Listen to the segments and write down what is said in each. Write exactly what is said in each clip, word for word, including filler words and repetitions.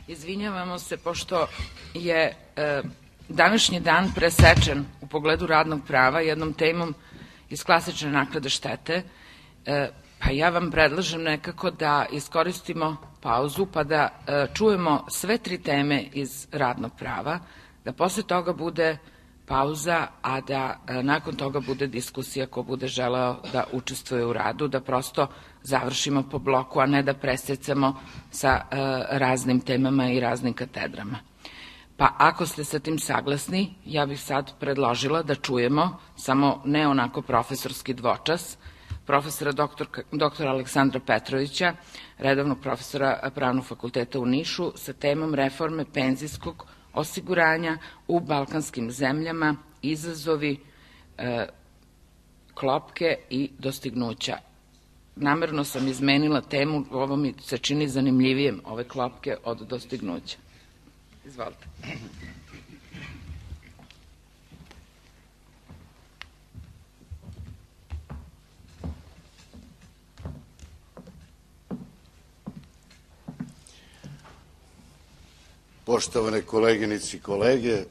Izvinjavamo se, pošto je e, današnji dan presečen u pogledu radnog prava jednom temom iz klasične naknade štete, e, pa ja vam predlažem nekako da iskoristimo pauzu pa da e, čujemo sve tri teme iz radnog prava, da posle toga bude pauza, a da e, nakon toga bude diskusija ko bude želeo da učestvuje u radu, da prosto završimo po bloku, a ne da presecamo sa e, raznim temama i raznim katedrama. Pa ako ste sa tim saglasni, ja bih sad predložila da čujemo, samo ne onako profesorski dvočas, profesora doktor, doktora Aleksandra Petrovića, redovnog profesora Pravnog fakulteta u Nišu, sa temom reforme penzijskog osiguranja u balkanskim zemljama, izazovi, e, klopke i dostignuća. Namerno sam izmenila temu, ovo mi se čini zanimljivijem, ove klopke od dostignuća. Izvolite. Poštovane koleginice i kolege,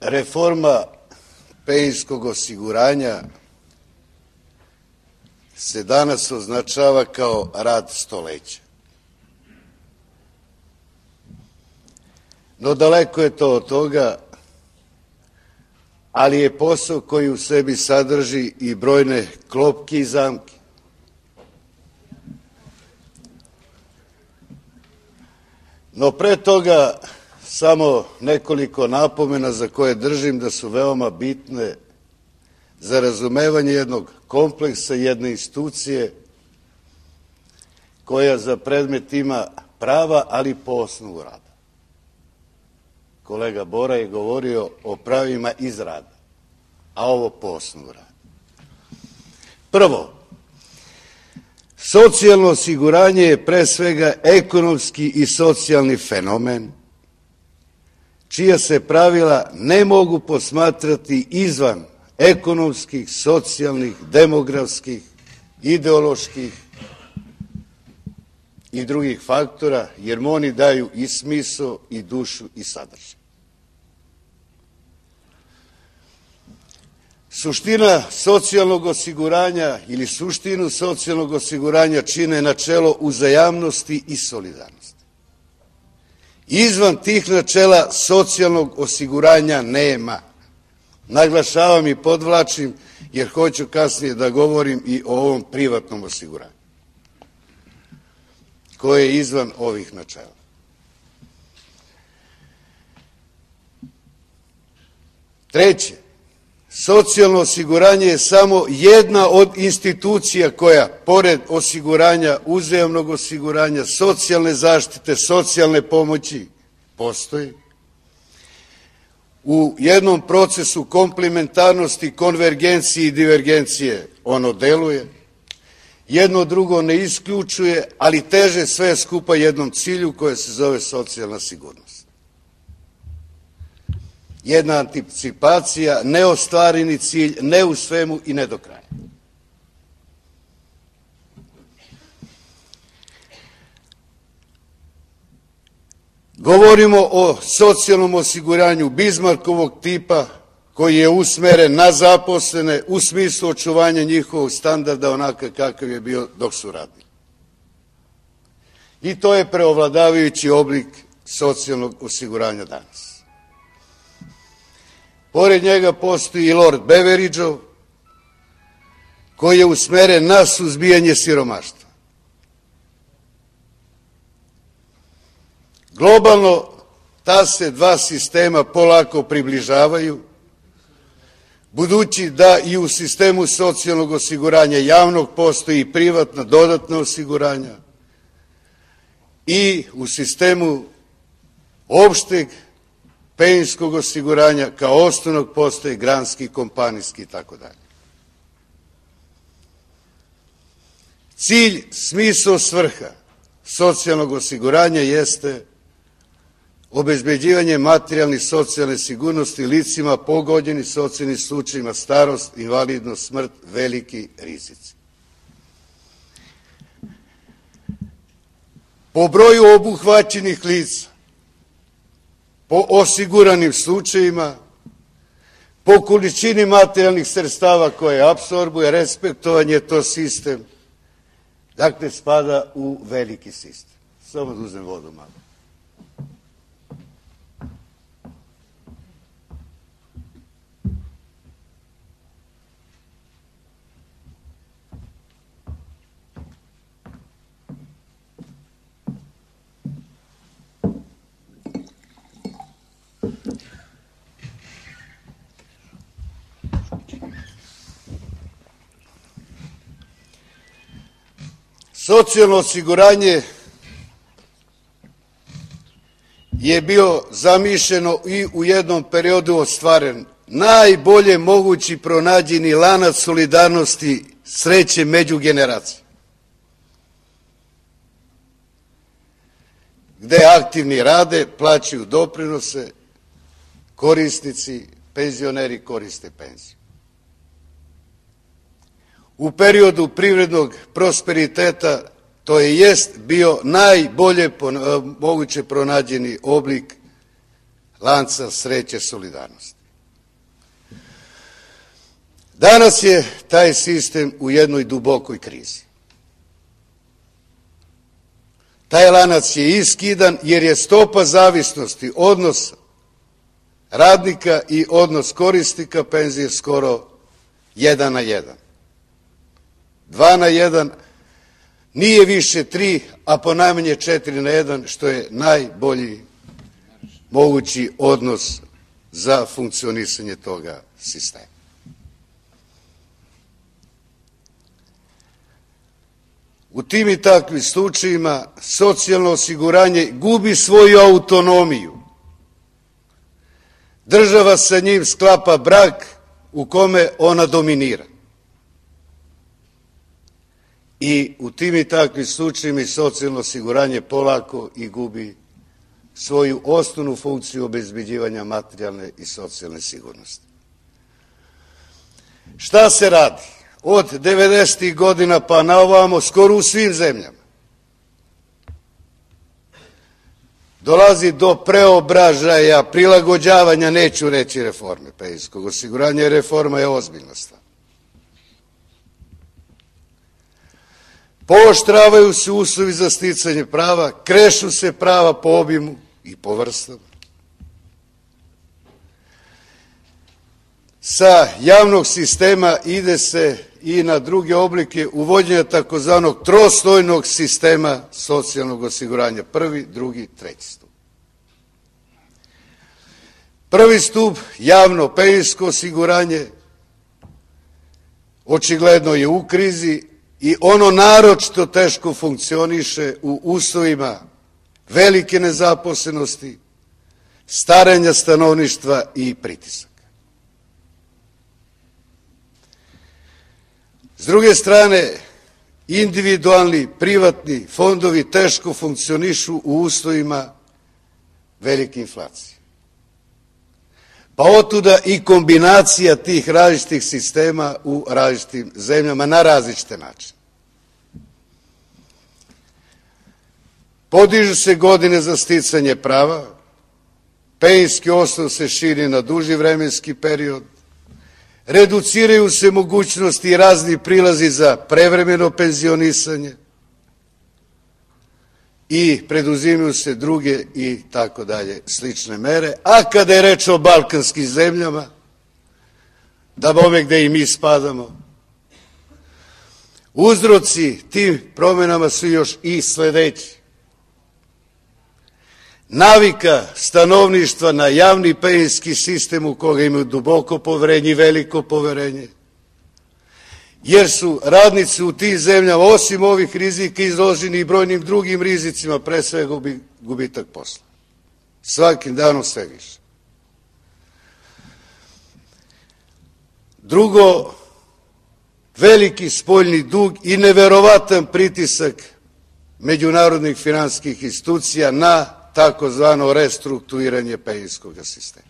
reforma penzijskog osiguranja se danas označava kao rad stoleća. No daleko je to od toga, ali je posao koji u sebi sadrži i brojne klopke i zamke. No pre toga samo nekoliko napomena za koje držim da su veoma bitne za razumevanje jednog kompleksa, jedne institucije koja za predmet ima prava, ali po osnovu rada. Kolega Bora je govorio o pravima iz rada, a ovo po osnovu rada. Prvo, socijalno osiguranje je pre svega ekonomski i socijalni fenomen, čija se pravila ne mogu posmatrati izvan ekonomskih, socijalnih, demografskih, ideoloških i drugih faktora, jer oni daju i smisao, i dušu, i sadržaj. Suština socijalnog osiguranja ili suštinu socijalnog osiguranja čine načelo uzajamnosti i solidarnosti. Izvan tih načela socijalnog osiguranja nema. Naglašavam i podvlačim, jer hoću kasnije da govorim i o ovom privatnom osiguranju, koje je izvan ovih načela. Treće, socijalno osiguranje je samo jedna od institucija koja, pored osiguranja, uzajamnog osiguranja, socijalne zaštite, socijalne pomoći, postoji. U jednom procesu komplementarnosti, konvergencije i divergencije ono deluje. Jedno drugo ne isključuje, ali teže sve skupa jednom cilju koje se zove socijalna sigurnost. Jedna anticipacija, neostvareni cilj, ne u svemu i ne do kraja. Govorimo o socijalnom osiguranju Bizmarkovog tipa, koji je usmeren na zaposlene u smislu očuvanja njihovog standarda onakav kakav je bio dok su radili. I to je preovladavajući oblik socijalnog osiguranja danas. Pored njega postoji i Lord Beveridgeov, koji je usmeren na suzbijanje siromaštva. Globalno ta se dva sistema polako približavaju, budući da i u sistemu socijalnog osiguranja javnog postoji privatna dodatna osiguranja i u sistemu opšteg penzijskog osiguranja kao osnovnog postoji granski, kompanijski i tako dalje. Cilj, smisao, svrha socijalnog osiguranja jeste obezbeđivanje materijalne i socijalne sigurnosti licima pogođeni socijalnim slučajima, starost, invalidnost, smrt, veliki rizici. po broju obuhvaćenih lica, po osiguranim slučajima, po količini materijalnih sredstava koje apsorbuje, respektovan je to sistem, dakle spada u veliki sistem. Samo da uzem vodu malo. Socijalno osiguranje je bio zamišljeno i u jednom periodu ostvaren najbolje mogući pronađeni lanac solidarnosti sreće među generacije, gde aktivni rade, plaćaju doprinose, korisnici, penzioneri koriste penziju. U periodu privrednog prosperiteta to je jest bio najbolje moguće pronađeni oblik lanca sreće solidarnosti. Danas je taj sistem u jednoj dubokoj krizi. Taj lanac je iskidan jer je stopa zavisnosti, odnos radnika i odnos korisnika penzije skoro jedan na jedan. Dva na jedan, nije više tri, a ponajmanje četiri na jedan, što je najbolji mogući odnos za funkcionisanje toga sistema. U tim i takvim slučajima socijalno osiguranje gubi svoju autonomiju. Država sa njim sklapa brak u kome ona dominira. I u tim i takvim slučajima socijalno osiguranje polako i gubi svoju osnovnu funkciju obezbeđivanja materijalne i socijalne sigurnosti. Šta se radi? Od devedesetih godina pa na ovamo, skoro u svim zemljama, dolazi do preobražaja, prilagođavanja, neću reći reforme penzijskog osiguranja, jer reforma je ozbiljna stvar. Pooštravaju se uslovi za sticanje prava, krešu se prava po obimu i po vrstama. Sa javnog sistema ide se i na druge oblike uvođenja takozvanog trostojnog sistema socijalnog osiguranja. Prvi, drugi, treći stup. Prvi stup, javno penzijsko osiguranje, očigledno je u krizi i ono naročito teško funkcioniše u uslovima velike nezaposlenosti, starenja stanovništva i pritisaka. S druge strane, individualni, privatni fondovi teško funkcionišu u uslovima velike inflacije. Pa otuda i kombinacija tih različitih sistema u različitim zemljama na različite načine. Podižu se godine za sticanje prava, penzijski osnov se širi na duži vremenski period, reduciraju se mogućnosti i razni prilazi za prevremeno penzionisanje i preduzimaju se druge i tako dalje slične mere. A kada je reč o balkanskim zemljama, da bome gde i mi spadamo, uzroci tim promenama su još i sledeći. Navika stanovništva na javni penzijski sistem u koga imaju duboko poverenje i veliko poverenje, jer su radnici u tim zemljama, osim ovih rizika, izloženi i brojnim drugim rizicima, pre svega gubitak posla. Svakim danom sve više. Drugo, veliki spoljni dug i neverovatan pritisak međunarodnih finansijskih institucija na takozvano restrukturiranje penzijskog sistema.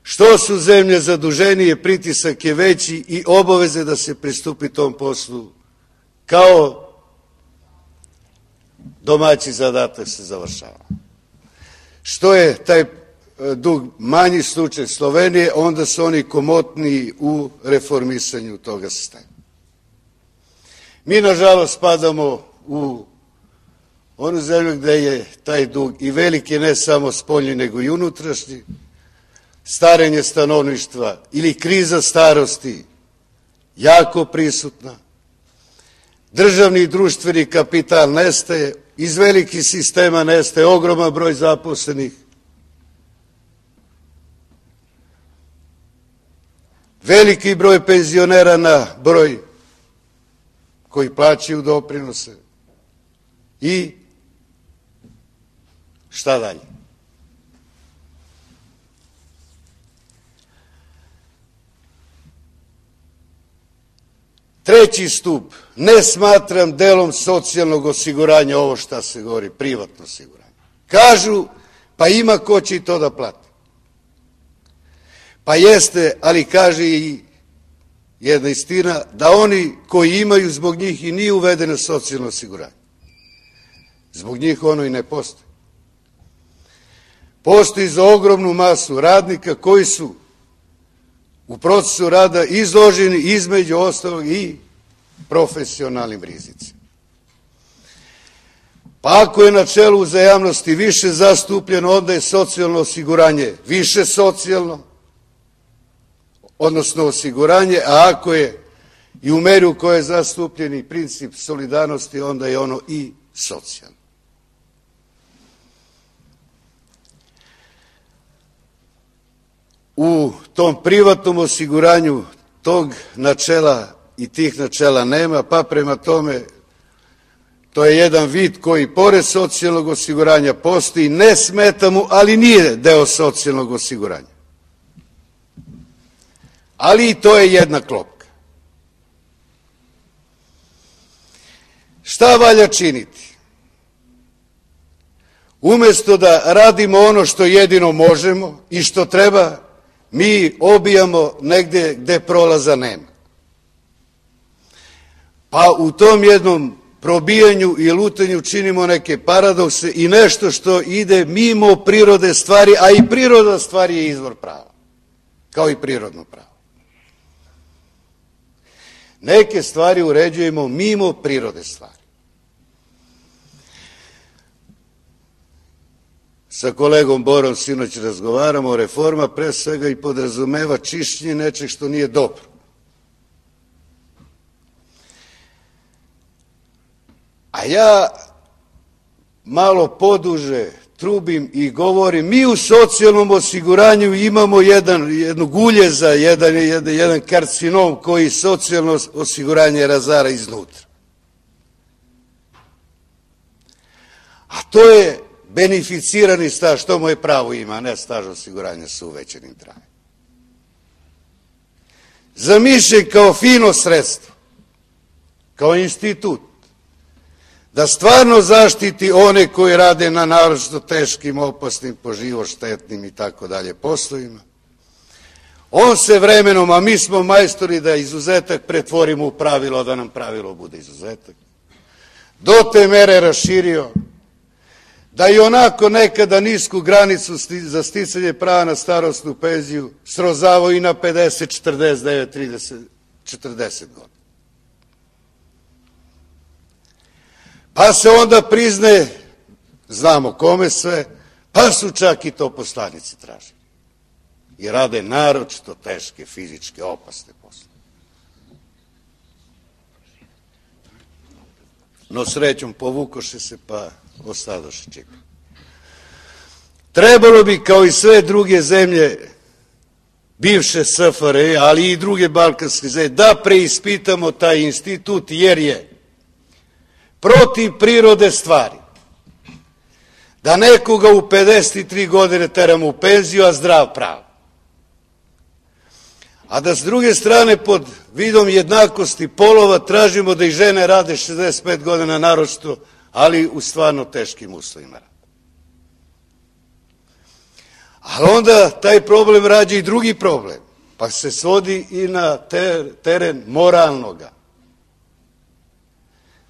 Što su zemlje zaduženije, pritisak je veći i obaveze da se pristupi tom poslu kao domaći zadatak se završava. Što je taj dug manji slučaj Slovenije, onda su oni komotniji u reformisanju toga sistema. Mi, nažalost, spadamo u onu zemlju gde je taj dug i veliki, ne samo spoljni, nego i unutrašnji, starenje stanovništva ili kriza starosti jako prisutna, državni i društveni kapital nestaje, iz velikih sistema nestaje ogroman broj zaposlenih, veliki broj penzionera na broj koji plaćaju doprinose i šta dalje? Treći stup, ne smatram delom socijalnog osiguranja ovo šta se govori, privatno osiguranje. Kažu, pa ima ko će i to da plati. Pa jeste, ali kaže i jedna istina, da oni koji imaju, zbog njih i nije uvedeno socijalno osiguranje. Zbog njih ono i ne postoji. Postoji za ogromnu masu radnika koji su u procesu rada izloženi između ostalog i profesionalnim rizicima. Pa ako je načelo uzajamnosti više zastupljeno, onda je socijalno osiguranje više socijalno, odnosno osiguranje, a ako je i u meri u kojoj je zastupljeni princip solidarnosti, onda je ono i socijalno. U tom privatnom osiguranju tog načela i tih načela nema, pa prema tome to je jedan vid koji pored socijalnog osiguranja postoji, ne smeta mu, ali nije deo socijalnog osiguranja. Ali i to je jedna klopka. Šta valja činiti? Umesto da radimo ono što jedino možemo i što treba, mi obijamo negde gde prolaza nema. Pa u tom jednom probijanju i lutanju činimo neke paradokse i nešto što ide mimo prirode stvari, a i priroda stvari je izvor prava, kao i prirodno pravo. Neke stvari uređujemo mimo prirode stvari. Sa kolegom Borom sinoć razgovaramo, reforma pre svega i podrazumeva čišćenje nečeg što nije dobro. A ja malo poduže trubim i govorim, mi u socijalnom osiguranju imamo jedan, jedno guljeza, jedan, jedan, jedan karcinom koji socijalno osiguranje razara iznutra. A to je beneficirani staž, što moje pravo ima, ne staž osiguranja sa uvećanim trajanjem. Zamišljen kao fino sredstvo, kao institut, da stvarno zaštiti one koji rade na naročito teškim, opasnim, po život štetnim i tako dalje poslovima. On se vremenom, a mi smo majstori da izuzetak pretvorimo u pravilo, da nam pravilo bude izuzetak, do te mere raširio da i onako nekada nisku granicu za sticanje prava na starosnu penziju srozavao i na pedeset, četrdeset devet, trideset, četrdeset godina. Pa se onda priznaje, znamo kome sve, pa su čak i to poslanici tražili. I rade naročito teške, fizičke, opasne posle. No srećom povukoše se, pa ostadoše čeka. Trebalo bi, kao i sve druge zemlje bivše S F R J, ali i druge balkanske zemlje, da preispitamo taj institut, jer je protiv prirode stvari da nekoga u pedeset tri godine teramo u penziju, a zdrav prav. A da s druge strane pod vidom jednakosti polova tražimo da i žene rade šezdeset pet godina naročito, ali u stvarno teškim uslovima. Ali onda taj problem rađa i drugi problem, pa se svodi i na teren moralnoga.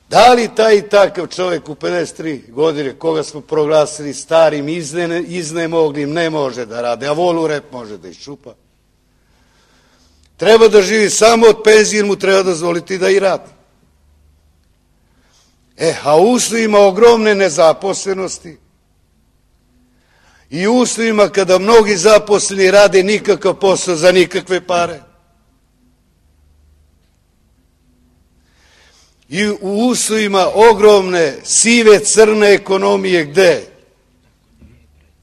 Da li taj i takav čovjek u pedeset tri godine, koga smo proglasili starim, izne, iznemoglim, ne može da rade, a volu rep može da iščupa? Treba da živi samo od penzije, mu treba dozvoliti da i radi. E, a u uslovima ogromne nezaposlenosti i u uslovima kada mnogi zaposleni rade nikakav posao za nikakve pare, i u uslovima ogromne sive crne ekonomije gde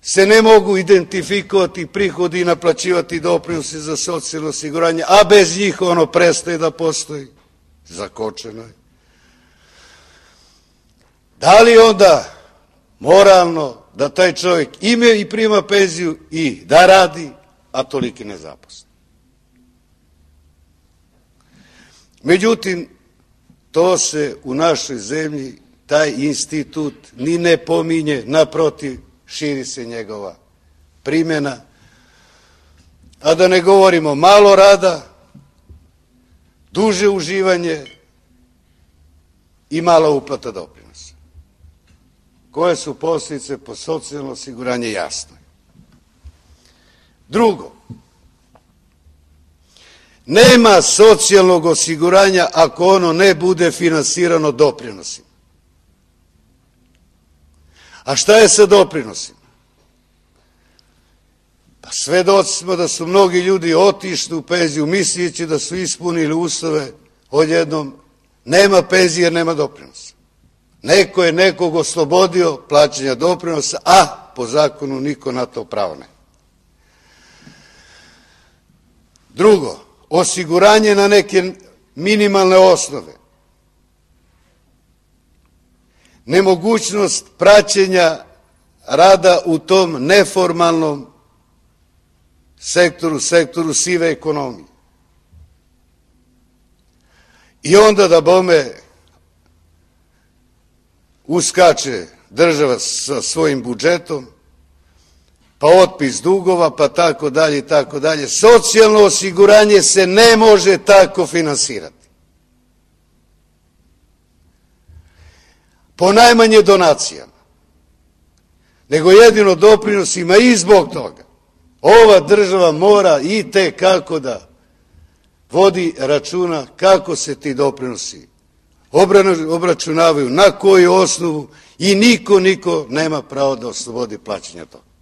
se ne mogu identifikovati prihodi i naplaćivati doprinosi za socijalno osiguranje, a bez njih ono prestaje da postoji, zakočeno je. Da li onda moralno da taj čovjek ima i prima penziju i da radi, a toliki nezaposlen? Međutim, to se u našoj zemlji, taj institut ni ne pominje, naprotiv, širi se njegova primjena. A da ne govorimo malo rada, duže uživanje i mala uplata doprinosa. Koje su posljedice po socijalno osiguranje, jasno je. Drugo, nema socijalnog osiguranja ako ono ne bude finansirano doprinosima. A šta je sa doprinosima? Pa svedoci smo da su mnogi ljudi otišli u penziju misleći da su ispunili uslove, odjednom nema penzije jer nema doprinosa. Neko je nekog oslobodio plaćanja doprinosa, a po zakonu niko na to pravo ne. Drugo, osiguranje na neke minimalne osnove. Nemogućnost praćenja rada u tom neformalnom sektoru, sektoru sive ekonomije. I onda da bome uskače država sa svojim budžetom, pa otpis dugova, pa tako dalje i tako dalje. Socijalno osiguranje se ne može tako finansirati. Po najmanje donacijama, nego jedino doprinosima i zbog toga. Ova država mora i te kako da vodi računa kako se ti doprinosi obračunavaju, na koju osnovu i niko, niko nema pravo da oslobodi plaćanja toga.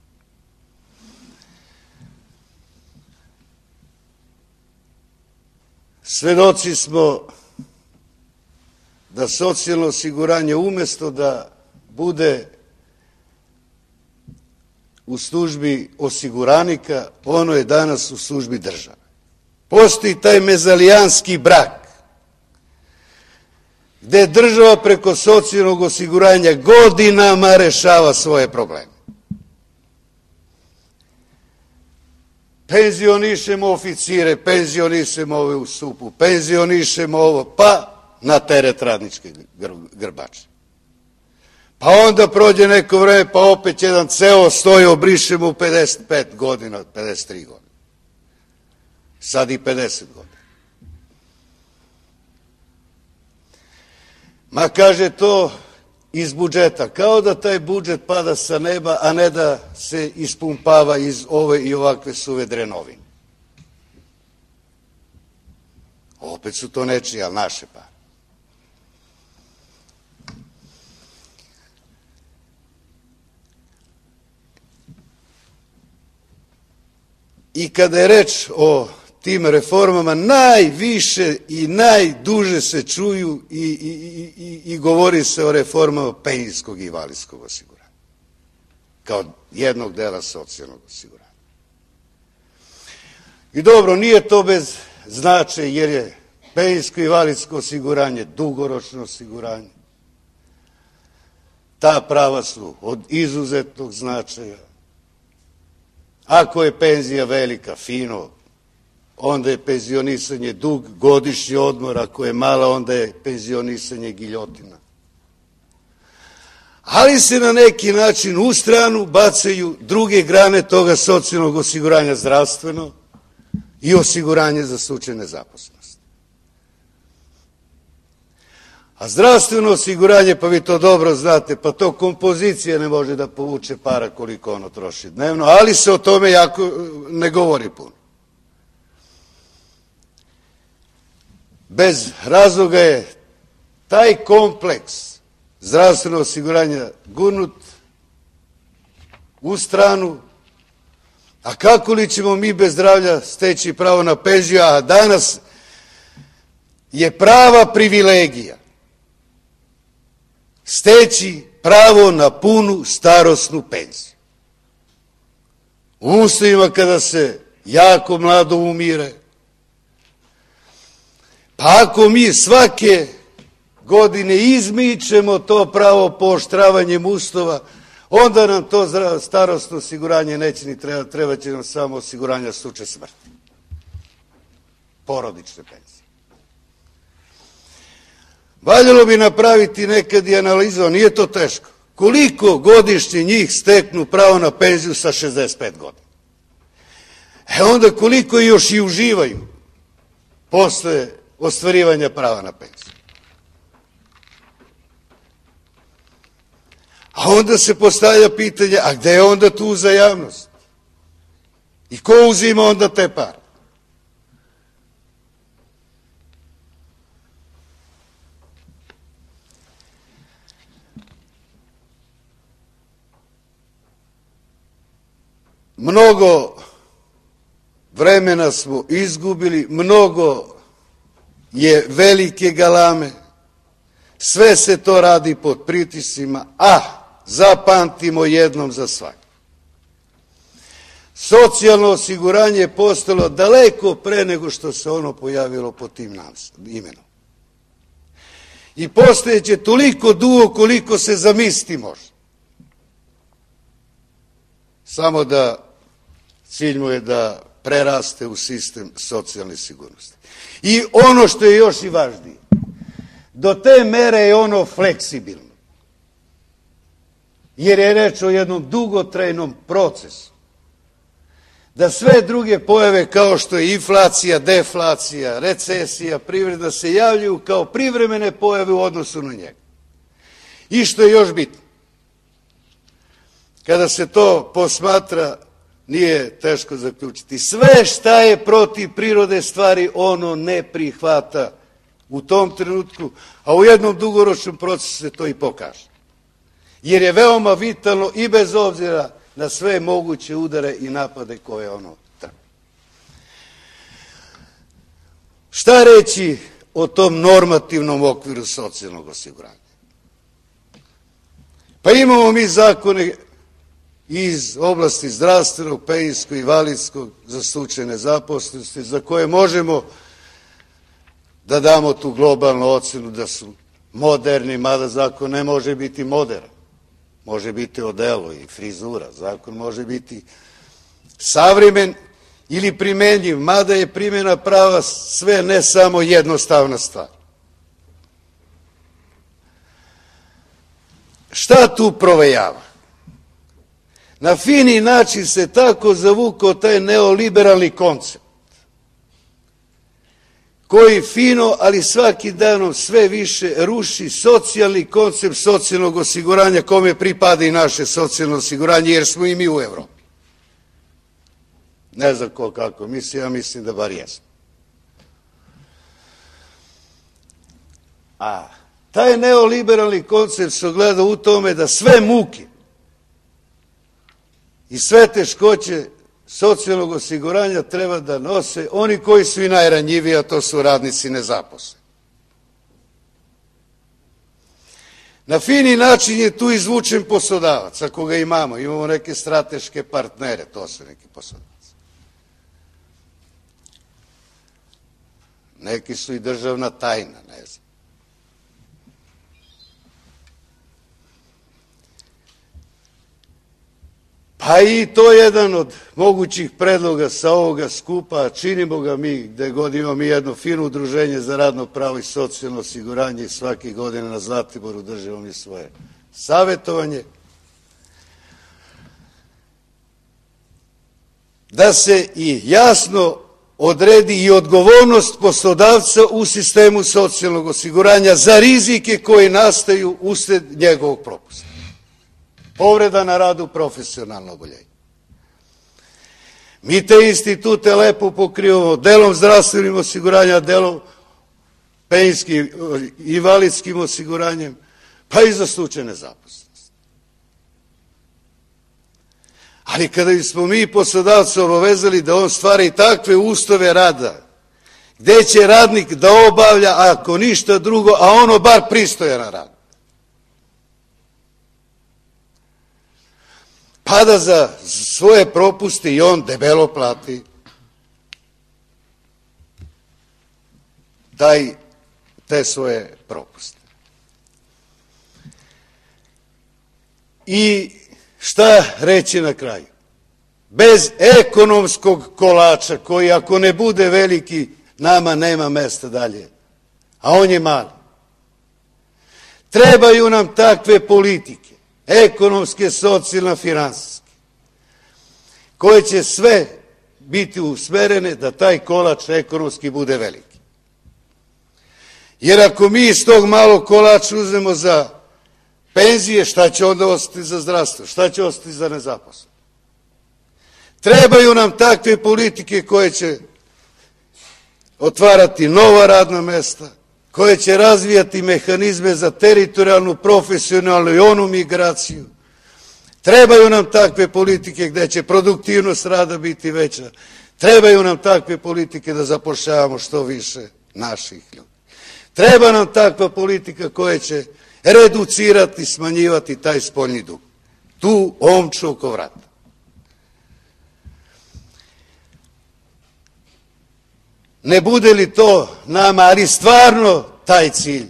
Svedoci smo da socijalno osiguranje umjesto da bude u službi osiguranika, ono je danas u službi države. Postoji taj mezalijanski brak, gde država preko socijalnog osiguranja godinama rešava svoje probleme. Penzionišemo oficire, penzionišemo ove u supu, penzionišemo ovo, pa na teret radničke grbače. Pa onda prođe neko vreme, pa opet jedan ceo stoji, obrišemo u pedeset pet godina, pedeset tri godine. Sad i pedeset godina. Ma kaže to iz budžeta, kao da taj budžet pada sa neba, a ne da se ispumpava iz ove i ovakve suve drenovine. Opet su to nečije, ali naše pare. I kada je reč o tim reformama, najviše i najduže se čuju i, i, i, i govori se o reformama penzijskog i invalidskog osiguranja, kao jednog dela socijalnog osiguranja. I dobro, nije to bez značaja, jer je penzijsko i invalidsko osiguranje dugoročno osiguranje. Ta prava su od izuzetnog značaja. Ako je penzija velika, fino, onda je penzionisanje dug, godišnji odmor, ako je mala, onda je penzionisanje giljotina. Ali se na neki način u stranu bacaju druge grane toga socijalnog osiguranja, zdravstveno i osiguranje za slučaj nezaposlenosti. A zdravstveno osiguranje, pa vi to dobro znate, pa to kompozicija ne može da povuče para koliko ono troši dnevno, ali se o tome jako ne govori puno. Bez razloga je taj kompleks zdravstvenog osiguranja gurnut u stranu, a kako li ćemo mi bez zdravlja steći pravo na penziju, a danas je prava privilegija steći pravo na punu starosnu penziju. U uslovima kada se jako mlado umire, pa ako mi svake godine izmičemo to pravo pooštravanjem uslova, onda nam to starosno osiguranje neće ni treba, treba će nam samo osiguranja slučaj smrti. Porodične penzije. Valjalo bi napraviti nekad i analizu, nije to teško. Koliko godišnje njih steknu pravo na penziju sa šezdeset pet godina? E onda koliko još i uživaju posle ostvarivanja prava na penziju? A onda se postavlja pitanje, a gde je onda tu uzajamnost? I ko uzima onda te pare? Mnogo vremena smo izgubili, mnogo je velike galame, sve se to radi pod pritiscima, a zapamtimo jednom za svak. Socijalno osiguranje je postalo daleko pre nego što se ono pojavilo pod tim imenom. I postojeće toliko dugo koliko se zamisliti može. Samo da cilj mu je da preraste u sistem socijalne sigurnosti. I ono što je još i važnije, do te mere je ono fleksibilno. Jer je reč o jednom dugotrajnom procesu. Da sve druge pojave kao što je inflacija, deflacija, recesija, privreda se javljaju kao privremene pojave u odnosu na njega. I što je još bitno, kada se to posmatra, nije teško zaključiti. Sve šta je protiv prirode stvari, ono ne prihvata u tom trenutku, a u jednom dugoročnom procesu se to i pokaže. Jer je veoma vitalno i bez obzira na sve moguće udare i napade koje ono trpi. Šta reći o tom normativnom okviru socijalnog osiguranja? Pa imamo mi zakone iz oblasti zdravstvenog, penzijskog i invalidskog za slučaj nezaposlenosti, za koje možemo da damo tu globalnu ocenu da su moderni, mada zakon ne može biti modern. Može biti odelo i frizura. Zakon može biti savremen ili primenjiv, mada je primjena prava sve ne samo jednostavna stvar. Šta tu provejava? Na fini način se tako zavukao taj neoliberalni koncept, koji fino, ali svakim danom sve više ruši socijalni koncept socijalnog osiguranja kome pripada i naše socijalno osiguranje, jer smo i mi u Evropi. Ne znam ko kako misli, ja mislim da bar jesmo. A taj neoliberalni koncept se ogleda u tome da sve muke i sve teškoće socijalnog osiguranja treba da nose oni koji su i najranjiviji, a to su radnici nezaposleni. Na fini način je tu izvučen poslodavac, ako ga imamo. Imamo neke strateške partnere, to su neki poslodavci. Neki su i državna tajna, ne znam. Pa i to je jedan od mogućih predloga sa ovoga skupa, činimo ga mi gde god imamo mi jedno fino udruženje za radno pravo i socijalno osiguranje i svake godine na Zlatiboru držimo mi svoje savjetovanje. Da se i jasno odredi i odgovornost poslodavca u sistemu socijalnog osiguranja za rizike koji nastaju usled njegovog propusta. Povreda na radu, profesionalno oboljenje. Mi te institute lepo pokrivamo delom zdravstvenim osiguranja, delom penzijskim, invalidskim osiguranjem, pa i za slučaj nezaposlenosti. Ali kada bismo mi poslodavca obavezali da on stvara i takve uslove rada, gde će radnik da obavlja, ako ništa drugo, a ono bar pristojan rad, pa da za svoje propuste i on debelo plati taj, te svoje propuste. I šta reći na kraju? Bez ekonomskog kolača, koji ako ne bude veliki, nama nema mesta dalje, a on je mali. Trebaju nam takve politike, ekonomske, socijalne, finansijske, koje će sve biti usmerene da taj kolač ekonomski bude veliki. Jer ako mi iz tog malog kolača uzmemo za penzije, šta će onda ostati za zdravstvo? Šta će ostati za nezaposlenost? Trebaju nam takve politike koje će otvarati nova radna mesta, koje će razvijati mehanizme za teritorijalnu, profesionalnu i onu migraciju. Trebaju nam takve politike gde će produktivnost rada biti veća. Trebaju nam takve politike da zapošljavamo što više naših ljudi. Treba nam takva politika koja će reducirati, smanjivati taj spoljni dug. Tu omču oko vrata. Ne bude li to nama, ali stvarno taj cilj,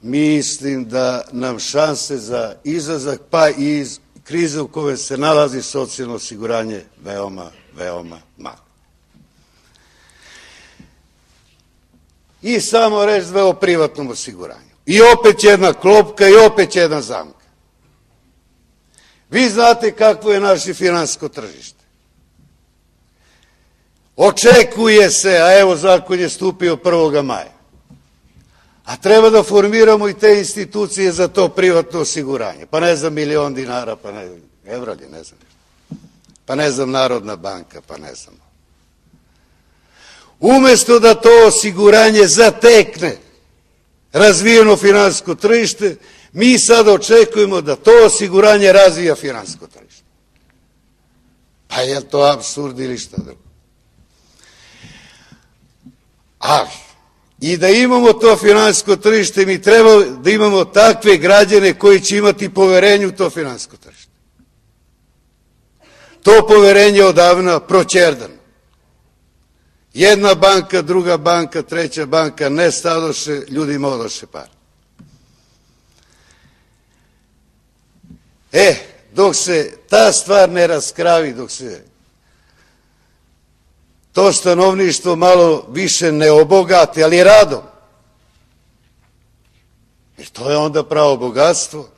mislim da nam šanse za izlazak, pa i iz krize u kojoj se nalazi socijalno osiguranje, veoma, veoma malo. I samo reći dve o privatnom osiguranju. I opet jedna klopka i opet jedna zamka. Vi znate kakvo je naše finansijsko tržište. Očekuje se, a evo zakon je stupio prvog maja, a treba da formiramo i te institucije za to privatno osiguranje. Pa ne znam, milion dinara, pa ne znam, evralje, ne znam. Pa ne znam, Narodna banka, pa ne znam. Umesto da to osiguranje zatekne razvijeno finansijsko tržište, mi sad očekujemo da to osiguranje razvija finansijsko tržište. Pa je to apsurd ili šta drugo? Ali, i da imamo to finansijsko tržište, mi treba da imamo takve građane koji će imati poverenje u to finansijsko tržište. To poverenje je odavno proćerdano. Jedna banka, druga banka, treća banka nestadoše, ljudima odoše par. E, dok se ta stvar ne raskravi, dok se to stanovništvo malo više ne obogati, ali radom. Jer to je onda pravo bogatstvo.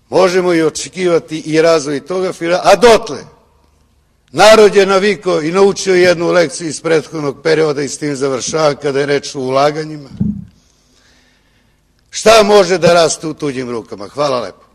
Možemo i očekivati i razvoj toga, a dotle narod je navikao i naučio jednu lekciju iz prethodnog perioda i s tim završava kada je reč o ulaganjima. Šta može da raste u tuđim rukama? Hvala lepo.